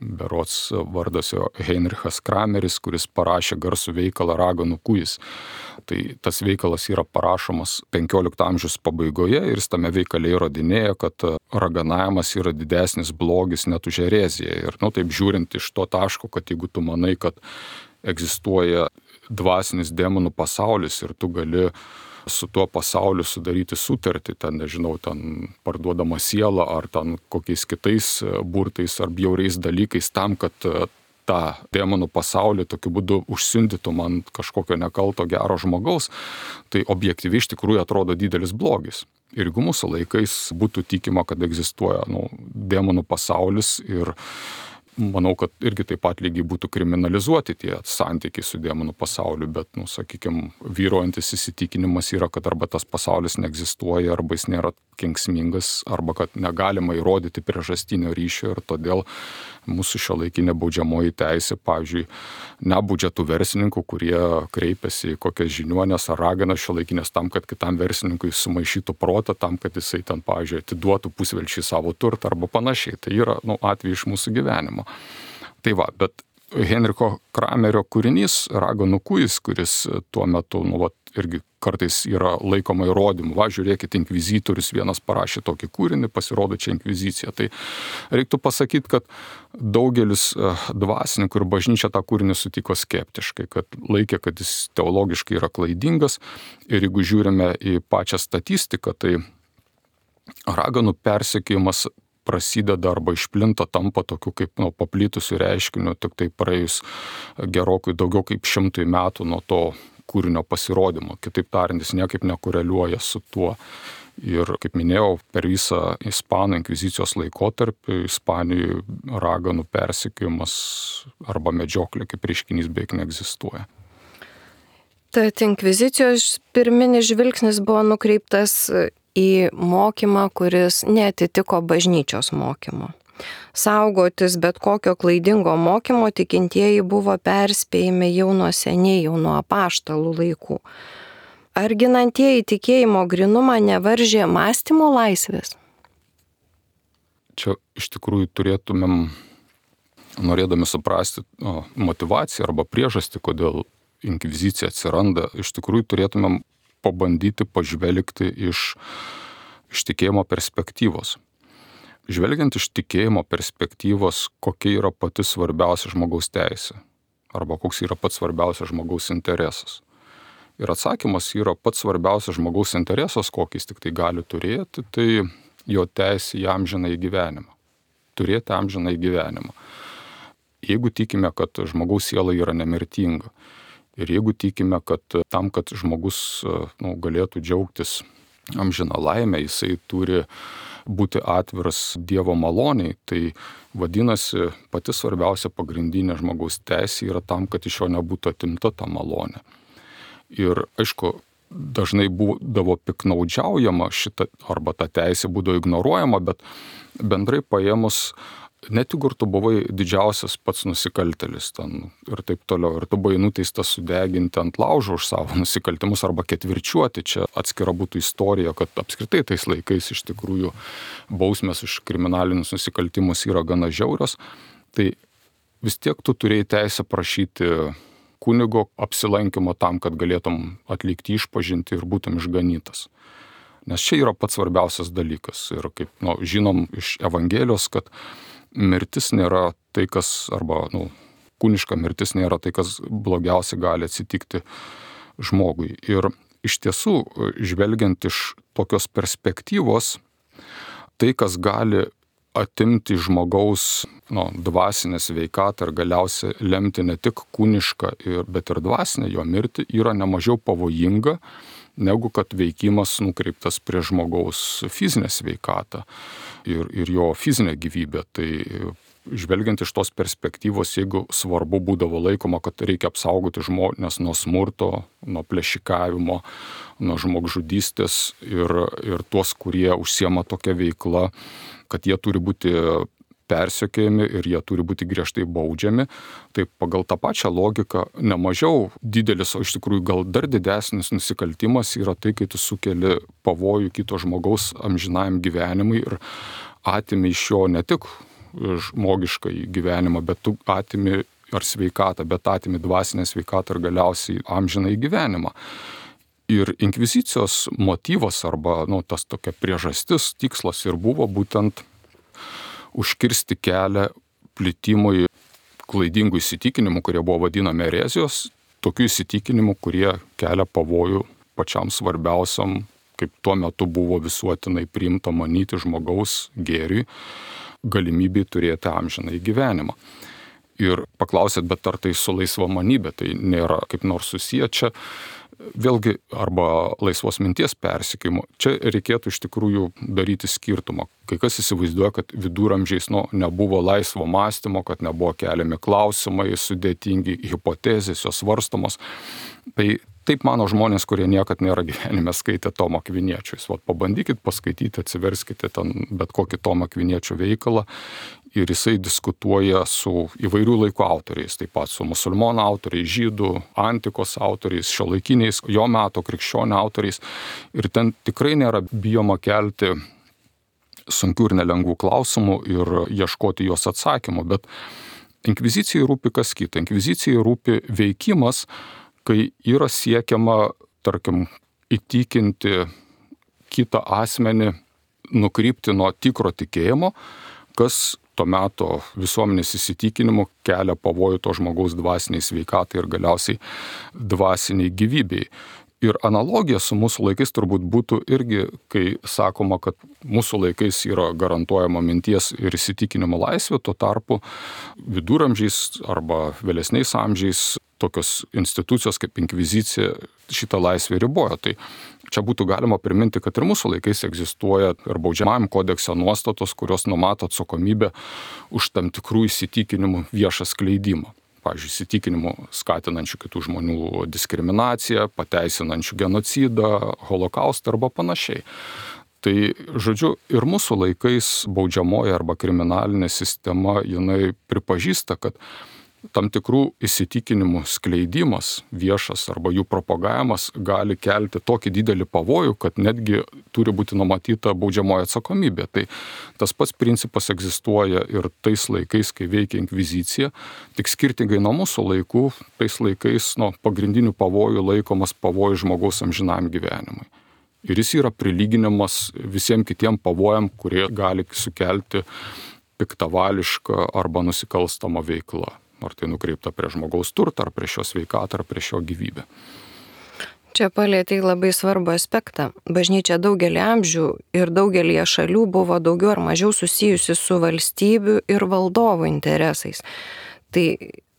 berods vardas jo Heinrichas Krameris, kuris parašė garsų veikalą Raganų kūjis. Tai tas veikalas yra parašomas 15 amžiaus pabaigoje ir jis tame veikale įrodinėja, kad raganavimas yra didesnis blogis net už ereziją. Ir taip žiūrint iš to taško, kad jeigu tu manai, kad egzistuoja dvasinis demonų pasaulis ir tu gali su tuo pasauliu sudaryti sutartį, ten parduodama sielą ar ten kokiais kitais burtais ar bjauriais dalykais tam, kad tą demonų pasaulį tokiu būdu užsiundytum ant kažkokio nekalto gero žmogaus, tai objektyviai iš tikrųjų atrodo didelis blogis. Ir jeigu mūsų laikais būtų tikima, kad egzistuoja demonų pasaulis ir manau, kad irgi taip pat lygiai būtų kriminalizuoti tie santykiai su demonų pasauliu, bet, sakykime, vyruojantis įsitikinimas yra, kad arba tas pasaulis neegzistuoja, arba jis nėra kenksmingas, arba kad negalima įrodyti priežastinio ryšio ir todėl mūsų šiuolaikinė baudžiamoji teisė, pavyzdžiui, nebaudžia tų verslininkų, kurie kreipiasi į kokias žiniuonės ar raganas šiuolaikinės tam, kad kitam verslininkui sumaišytų protą, tam, kad jisai ten, pavyzdžiui, atiduotų pusvelčiui savo turtą arba panašiai. Tai yra, atvejai iš mūsų gyvenimo. Tai va, bet Henriko Kramerio kūrinys Raganų kūjis, kuris tuo metu, irgi kartais yra laikoma įrodymu. Va, žiūrėkit, inkvizitorius vienas parašė tokį kūrinį, pasirodo čia inkvizicija. Tai reiktų pasakyti, kad daugelis dvasininkų ir bažnyčia tą kūrinį sutiko skeptiškai, kad laikė, kad jis teologiškai yra klaidingas. Ir jeigu žiūrime į pačią statistiką, tai raganų persekiojimas prasideda arba išplinta, tampa tokiu kaip paplitusiu reiškiniu, tik tai praėjus gerokai daugiau kaip 100 metų nuo to kūrinio pasirodymo. Kitaip tariant, jis niekaip nekoreliuoja su tuo. Ir, kaip minėjau, per visą Ispanų inkvizicijos laikotarpį Ispanijoje raganų persekiojimas arba medžioklė kaip reiškinys beveik neegzistuoja. Tad inkvizicijos pirminis žvilgsnis buvo nukreiptas į mokymą, kuris neatitiko bažnyčios mokymo. Saugotis bet kokio klaidingo mokymo tikintieji buvo perspėjami jau nuo seniai, jau nuo apaštalų laikų. Ar ginantieji tikėjimo grinumą nevaržė mąstymo laisvės? Čia iš tikrųjų turėtumėm, norėdami suprasti motivaciją arba priežastį, kodėl inkvizicija atsiranda, iš tikrųjų turėtumėm pabandyti pažvelgti iš tikėjimo perspektyvos. Žvelgiant iš tikėjimo perspektyvos, kokia yra pati svarbiausia žmogaus teisė arba koks yra pats svarbiausias žmogaus interesas. Ir atsakymas yra pats svarbiausias žmogaus interesas, kokį jis tik tai gali turėti, tai jo teisė į amžinąjį gyvenimą. Turėti amžinąjį gyvenimą. Jeigu tikime, kad žmogaus siela yra nemirtinga ir jeigu tikime, kad tam, kad žmogus galėtų džiaugtis amžiną laimę, jisai turi būti atviras Dievo maloniai, tai vadinasi pati svarbiausia pagrindinė žmogaus teisė yra tam, kad iš jo nebūtų atimta ta malonė. Ir aišku, dažnai būdavo piknaudžiaujama šita, arba ta teisė būdavo ignoruojama, bet bendrai paėmus, net jeigu tu buvai didžiausias pats nusikaltėlis ten ir taip toliau, ir tu buvai nuteistas sudeginti ant laužo už savo nusikaltimus arba ketvirčiuoti, čia atskira būtų istorija, kad apskritai tais laikais iš tikrųjų bausmės už kriminalinius nusikaltimus yra gana žiaurios, tai vis tiek tu turėjai teisę prašyti kunigo apsilankimo tam, kad galėtum atlikti išpažintį ir būtum išganytas. Nes čia yra pats svarbiausias dalykas. Ir kaip žinom iš Evangelijos, kad mirtis nėra tai, kas, arba kūniška mirtis nėra tai, kas blogiausia gali atsitikti žmogui. Ir iš tiesų, žvelgiant iš tokios perspektyvos, tai, kas gali atimti žmogaus dvasinę sveikatą ir galiausiai lemti ne tik kūnišką, bet ir dvasinę jo mirtį, yra nemažiau pavojinga, negu kad veikimas nukreiptas prie žmogaus fizinę sveikatą ir jo fizinę gyvybę. Tai žvelgiant iš tos perspektyvos, jeigu svarbu būdavo laikoma, kad reikia apsaugoti žmones nuo smurto, nuo plėšikavimo, nuo žmogžudystės ir tuos, kurie užsiema tokia veikla, kad jie turi būti persekiojami ir jie turi būti griežtai baudžiami, tai pagal tą pačią logiką nemažiau didelis, o iš tikrųjų gal dar didesnis nusikaltimas yra tai, kai tu sukeli pavojų kito žmogaus amžinajam gyvenimui ir atimi iš jo ne tik žmogišką gyvenimą, bet tu atimi ar sveikatą, bet atimi dvasinę sveikatą ir galiausiai amžinąjį gyvenimą. Ir inkvizicijos motyvas arba tas tokia priežastis, tikslas ir buvo būtent užkirsti kelią plitimui klaidingų įsitikinimų, kurie buvo vadinami erezijos, tokių įsitikinimų, kurie kelia pavojų pačiam svarbiausiam, kaip tuo metu buvo visuotinai priimta manyti žmogaus gėriui, galimybei turėti amžinąjį gyvenimą. Ir paklausėt, bet ar tai su laisvamanybė, tai nėra kaip nors susiję čia. Vėlgi, arba laisvos minties persekiojimu. Čia reikėtų iš tikrųjų daryti skirtumą. Kai kas įsivaizduoja, kad viduramžiais nebuvo laisvo mąstymo, kad nebuvo keliami klausimai, sudėtingi hipotezės, jos svarstomos. Tai taip mano žmonės, kurie niekad nėra gyvenime skaitę Tomo Akviniečio. Pabandykit paskaityti, atsiverskite ten bet kokį Tomo Akviniečio veikalą. Ir jisai diskutuoja su įvairių laikų autoriais, taip pat su musulmonų autoriais, žydų, antikos autoriais, šiuolaikiniais, jo meto krikščionių autoriais. Ir ten tikrai nėra bijoma kelti sunkių ir nelengvų klausimų ir ieškoti jos atsakymų. Bet inkvizicijai rūpi kas kita. Inkvizicijai rūpi veikimas, kai yra siekiama, tarkim, įtikinti kitą asmenį, nukrypti nuo tikro tikėjimo, kas to meto visuomenės įsitikinimu kelia pavojų to žmogaus dvasiniai sveikatai ir galiausiai dvasiniai gyvybei. Ir analogija su mūsų laikais turbūt būtų irgi, kai sakoma, kad mūsų laikais yra garantuojama minties ir įsitikinimo laisvė, tuo tarpu viduramžiais arba vėlesniais amžiais tokios institucijos kaip inkvizicija šitą laisvę ribojo. Tai čia būtų galima priminti, kad ir mūsų laikais egzistuoja ir baudžiamajam kodekse nuostatos, kurios numato atsakomybę už tam tikrų įsitikinimų viešą skleidimą. Pavyzdžiui, įsitikinimų skatinančių kitų žmonių diskriminaciją, pateisinančių genocidą, holokaustą arba panašiai. Tai, žodžiu, ir mūsų laikais baudžiamoji arba kriminalinė sistema, jinai pripažįsta, kad tam tikrų įsitikinimų skleidimas viešas arba jų propagavimas gali kelti tokį didelį pavojų, kad netgi turi būti numatyta baudžiamoji atsakomybė. Tai tas pats principas egzistuoja ir tais laikais, kai veikia inkvizicija, tik skirtingai nuo mūsų laikų, tais laikais pagrindinių pavojų laikomas pavojus žmogaus amžinam gyvenimui. Ir jis yra prilyginamas visiems kitiem pavojam, kurie gali sukelti piktavališką arba nusikalstamą veiklą. Ar tai nukreipta prie žmogaus turtą, ar prie šio sveikatą, ar prie šio gyvybę. Čia palėtei labai svarbų aspektą. Bažnyčia daugelį amžių ir daugelį šalių buvo daugiau ar mažiau susijusi su valstybių ir valdovų interesais. Tai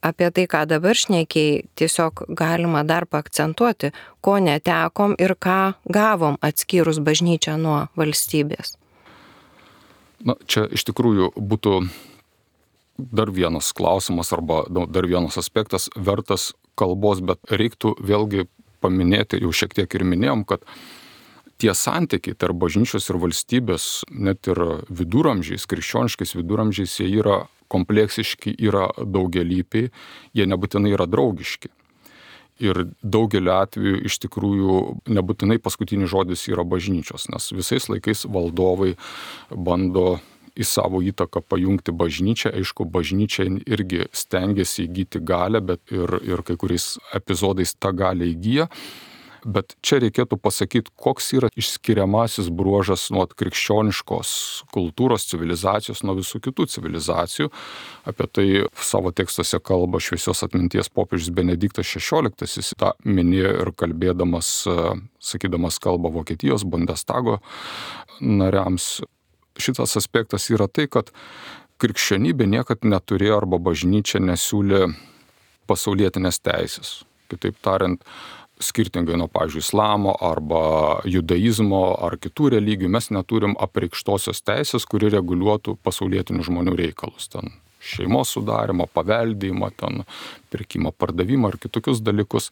apie tai, ką dabar šnekėjai, tiesiog galima dar paakcentuoti, ko netekom ir ką gavom atskyrus bažnyčią nuo valstybės. Čia iš tikrųjų būtų dar vienas klausimas arba dar vienas aspektas vertas kalbos, bet reiktų vėlgi paminėti, jau šiek tiek ir minėjom, kad tie santykiai tarp bažnyčios ir valstybės, net ir viduramžiais, krikščioniškais viduramžiais, jie yra kompleksiški, yra daugialypiai, jie nebūtinai yra draugiški. Ir daugelį atvejų iš tikrųjų nebūtinai paskutinis žodis yra bažnyčios, nes visais laikais valdovai bando į savo įtaką pajungti bažnyčią. Aišku, bažnyčia irgi stengiasi įgyti galę, bet ir kai kuriais epizodais tą galę įgyja. Bet čia reikėtų pasakyti, koks yra išskiriamasis bruožas nuo krikščioniškos kultūros, civilizacijos, nuo visų kitų civilizacijų. Apie tai savo tekstuose kalba šviesios atminties popiežius Benediktas XVI. Jis tą minėjo ir kalbėdamas, sakydamas kalbą Vokietijos Bundestago nariams. Šitas aspektas yra tai, kad krikščionybė niekad neturėjo arba bažnyčia nesiūlė pasaulietinės teisės. Kitaip tariant, skirtingai nuo, pavyzdžiui, islamo arba judaizmo ar kitų religijų, mes neturim apreikštosios teisės, kuri reguliuotų pasaulietinių žmonių reikalus. Ten šeimos sudarimą, paveldėjimą, ten pirkimą, pardavimą ar kitokius dalykus.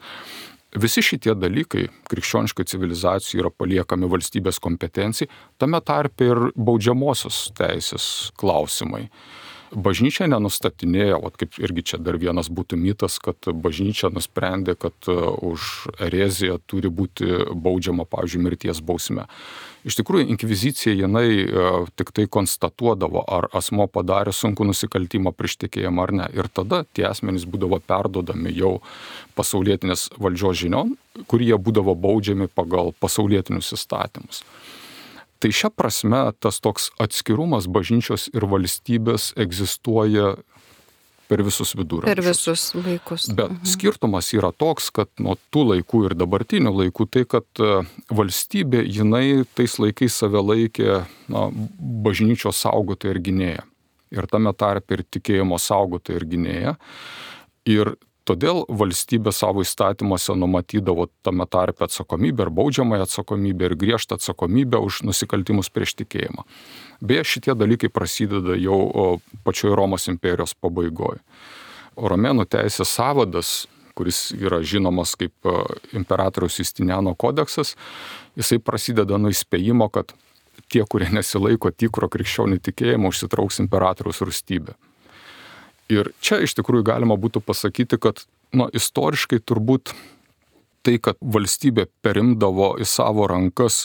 Visi šitie dalykai krikščioniškai civilizacijai yra paliekami valstybės kompetencijai, tame tarpe ir baudžiamosios teisės klausimai. Bažnyčia nenustatinėjo, kaip irgi čia dar vienas būtų mitas, kad bažnyčia nusprendė, kad už ereziją turi būti baudžiama, pavyzdžiui, mirties bausme. Iš tikrųjų, inkvizicija jinai tik tai konstatuodavo, ar asmo padarė sunkų nusikaltimą prieš tikėjimą ar ne. Ir tada tie asmenys būdavo perdodami jau pasaulietinės valdžios žinion, kurie būdavo baudžiami pagal pasaulietinius įstatymus. Tai šia prasme tas toks atskirumas bažnyčios ir valstybės egzistuoja per visus viduramžius. Per visus laikus. Bet skirtumas yra toks, kad nuo tų laikų ir dabartinių laikų, tai kad valstybė, jinai tais laikais save laikė bažnyčios saugotoja ir gynėja. ir tame tarpe ir tikėjimo saugotoja ir gynėja. Ir todėl valstybė savo įstatymuose numatydavo tame tarpe atsakomybę ir baudžiamąją atsakomybę ir griežtą atsakomybę už nusikaltimus prieš tikėjimą. Beje, šitie dalykai prasideda jau pačioje Romos imperijos pabaigoje. Romėnų teisės sąvadas, kuris yra žinomas kaip imperatoriaus Justiniano kodeksas, jisai prasideda nuo įspėjimo, kad tie, kurie nesilaiko tikro krikščionių tikėjimo, užsitrauks imperatoriaus rūstybę. Ir čia iš tikrųjų galima būtų pasakyti, kad istoriškai turbūt tai, kad valstybė perimdavo į savo rankas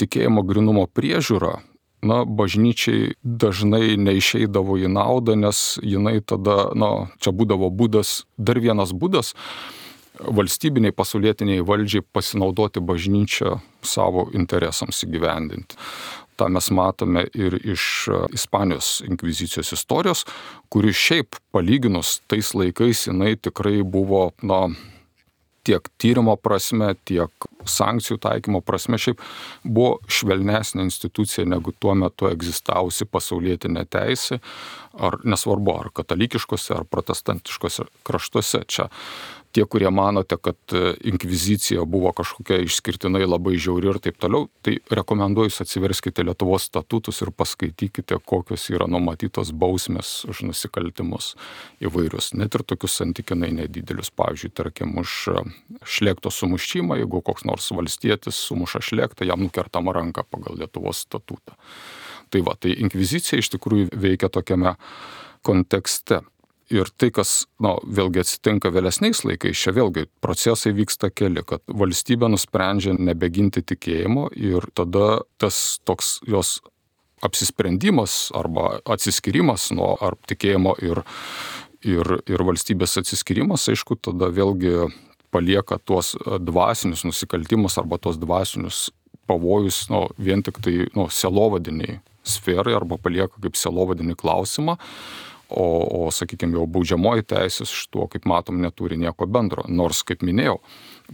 tikėjimo grynumo priežiūrą, bažnyčiai dažnai neišeidavo į naudą, nes jinai tada, čia būdavo būdas, dar vienas būdas valstybiniai pasaulietiniai valdžiai pasinaudoti bažnyčią savo interesams įgyvendinti. Ta mes matome ir iš Ispanijos inkvizicijos istorijos, kuri šiaip palyginus tais laikais jinai tikrai buvo, tiek tyrimo prasme, tiek sankcijų taikymo prasme šiaip buvo švelnesnė institucija negu tuo metu egzistavusi pasaulietinė teisė, ar nesvarbu, ar katalikiškose, ar protestantiškose kraštuose. Čia tie, kurie manote, kad inkvizicija buvo kažkokia išskirtinai labai žiauri ir taip toliau, tai rekomenduoju atsiverskite Lietuvos statutus ir paskaitykite, kokios yra numatytos bausmės už nusikaltimus įvairius, net ir tokius santykinai nedidelius. Pavyzdžiui, tarkim, už šlėkto sumušimą, jeigu koks nors valstietis sumuša šlėktą, jam nukertama ranka pagal Lietuvos statutą. Tai inkvizicija iš tikrųjų veikia tokiame kontekste. Ir tai, kas, vėlgi atsitinka vėlesniais laikais, čia vėlgi procesai vyksta keli, kad valstybė nusprendžia nebeginti tikėjimo ir tada tas toks jos apsisprendimas arba atsiskyrimas nuo ar tikėjimo ir valstybės atsiskyrimas, aišku, tada vėlgi palieka tuos dvasinius nusikaltimus arba tuos dvasinius pavojus, vien tik tai, sielovadiniai sferai arba palieka kaip sielovadinį klausimą. O sakykime, jau baudžiamoji teisė iš tuo, kaip matom, neturi nieko bendro. Nors, kaip minėjau,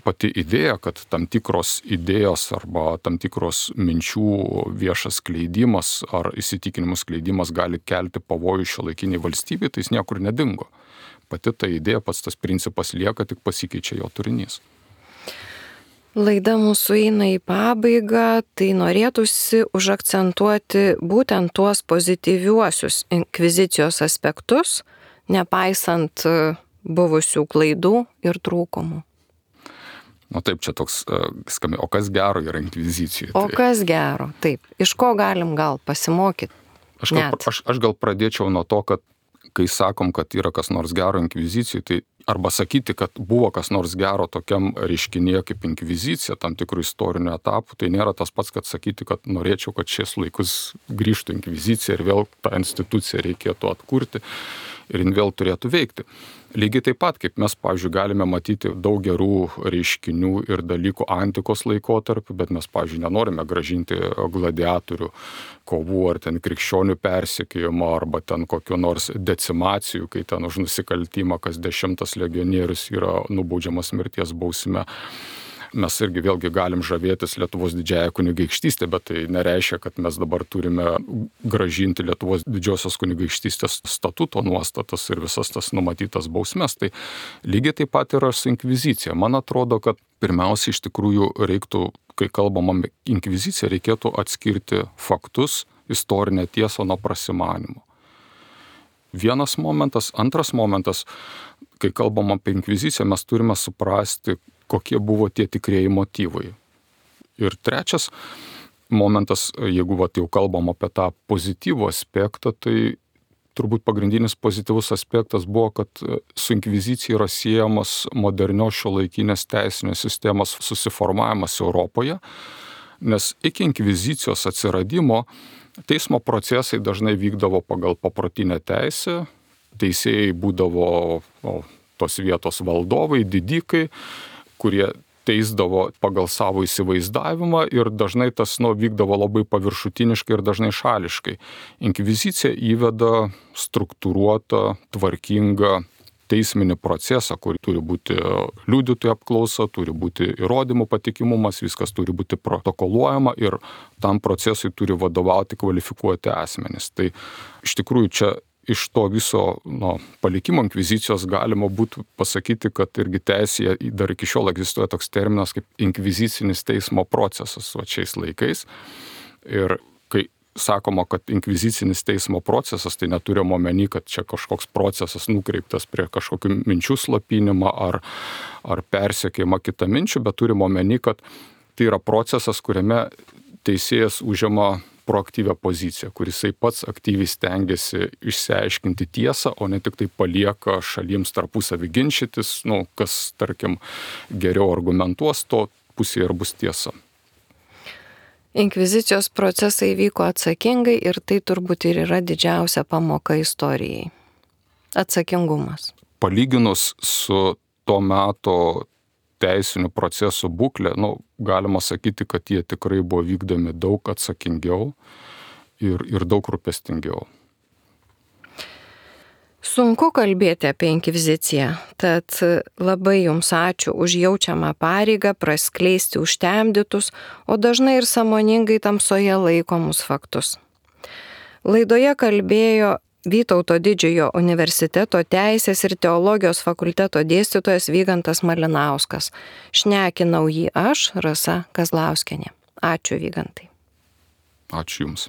pati idėja, kad tam tikros idėjos arba tam tikros minčių viešas skleidimas ar įsitikinimų skleidimas gali kelti pavojų šiuolaikiniai valstybei, tai jis niekur nedingo. Pati ta idėja, pats tas principas lieka, tik pasikeičia jo turinys. Laida mūsų eina į pabaigą, tai norėtųsi užakcentuoti būtent tuos pozityviuosius inkvizicijos aspektus, nepaisant buvusių klaidų ir trūkumų. Taip, čia toks skambė, o kas gero yra inkvizicijai? O kas gero, taip. Iš ko galim gal pasimokyti? Aš gal pradėčiau nuo to, kad kai sakom, kad yra kas nors gero inkvizicijai, tai arba sakyti, kad buvo kas nors gero tokiam reiškinyje kaip inkvizicija, tam tikrų istorinių etapų, tai nėra tas pats, kad sakyti, kad norėčiau, kad šiais laikus grįžtų inkvizicija ir vėl tą instituciją reikėtų atkurti ir jin vėl turėtų veikti. Lygiai taip pat, kaip mes, pavyzdžiui, galime matyti daug gerų reiškinių ir dalykų antikos laikotarpiu, bet mes, pavyzdžiui, nenorime gražinti gladiatorių kovų ar ten krikščionių persekiojimo arba ten kokiu nors decimacijų, kai ten už nusikaltimą kas 10 legionierius yra nubaudžiamas mirties bausme. Mes irgi vėlgi galim žavėtis Lietuvos didžiąją kunigaikštystę, bet tai nereiškia, kad mes dabar turime gražinti Lietuvos didžiosios kunigaikštystės statuto nuostatas ir visas tas numatytas bausmes. Tai lygiai taip pat yra su inkvizicija. Man atrodo, kad pirmiausia iš tikrųjų reiktų, kai kalbam apie inkviziciją, reikėtų atskirti faktus, istorinę tiesą nuo prasimanimo. Vienas momentas. Antras momentas, kai kalbam apie inkviziciją, mes turime suprasti, kokie buvo tie tikrieji motyvai. Ir trečias momentas, jeigu jau kalbam apie tą pozityvų aspektą, tai turbūt pagrindinis pozityvus aspektas buvo, kad su inkvizicija yra siejamas modernios šiuolaikinės teisinės sistemos susiformavimas Europoje, nes iki inkvizicijos atsiradimo teismo procesai dažnai vykdavo pagal paprotinę teisę, teisėjai būdavo tos vietos valdovai, didikai, kurie teisdavo pagal savo įsivaizdavimą ir dažnai tas vykdavo labai paviršutiniškai ir dažnai šališkai. Inkvizicija įveda struktūruotą, tvarkingą teisminį procesą, kur turi būti liudytojų apklausa, turi būti įrodymų patikimumas, viskas turi būti protokoluojama ir tam procesui turi vadovauti kvalifikuoti asmenys. Tai iš tikrųjų čia iš to viso palikimo inkvizicijos galima būtų pasakyti, kad irgi teisėje dar iki šiol egzistuoja toks terminas kaip inkvizicinis teismo procesas šiais laikais. Ir kai sakoma, kad inkvizicinis teismo procesas, tai neturime omeny, kad čia kažkoks procesas nukreiptas prie kažkokių minčių slopinimą ar persekiojimą kitą minčių, bet turime omeny, kad tai yra procesas, kuriame teisėjas užima proaktyvią poziciją, kuris pats aktyviai stengiasi išsiaiškinti tiesą, o ne tik tai palieka šalims tarpusavį ginčytis, kas, tarkim, geriau argumentuos, to pusėje ir bus tiesa. Inkvizicijos procesai vyko atsakingai ir tai turbūt ir yra didžiausia pamoka istorijai. Atsakingumas. Palyginus su to meto teisinių procesų būklė, galima sakyti, kad jie tikrai buvo vykdomi daug atsakingiau ir daug rūpestingiau. Sunku kalbėti apie inkviziciją, tad labai jums ačiū už jaučiamą pareigą praskleisti užtemdytus, o dažnai ir sąmoningai tamsoje laikomus faktus. Laidoje kalbėjo Vytauto Didžiojo universiteto Teisės ir teologijos fakulteto dėstytojas Vygantas Malinauskas. Šnekinau jį aš, Rasa Kazlauskienė. Ačiū, Vygantai. Ačiū Jums.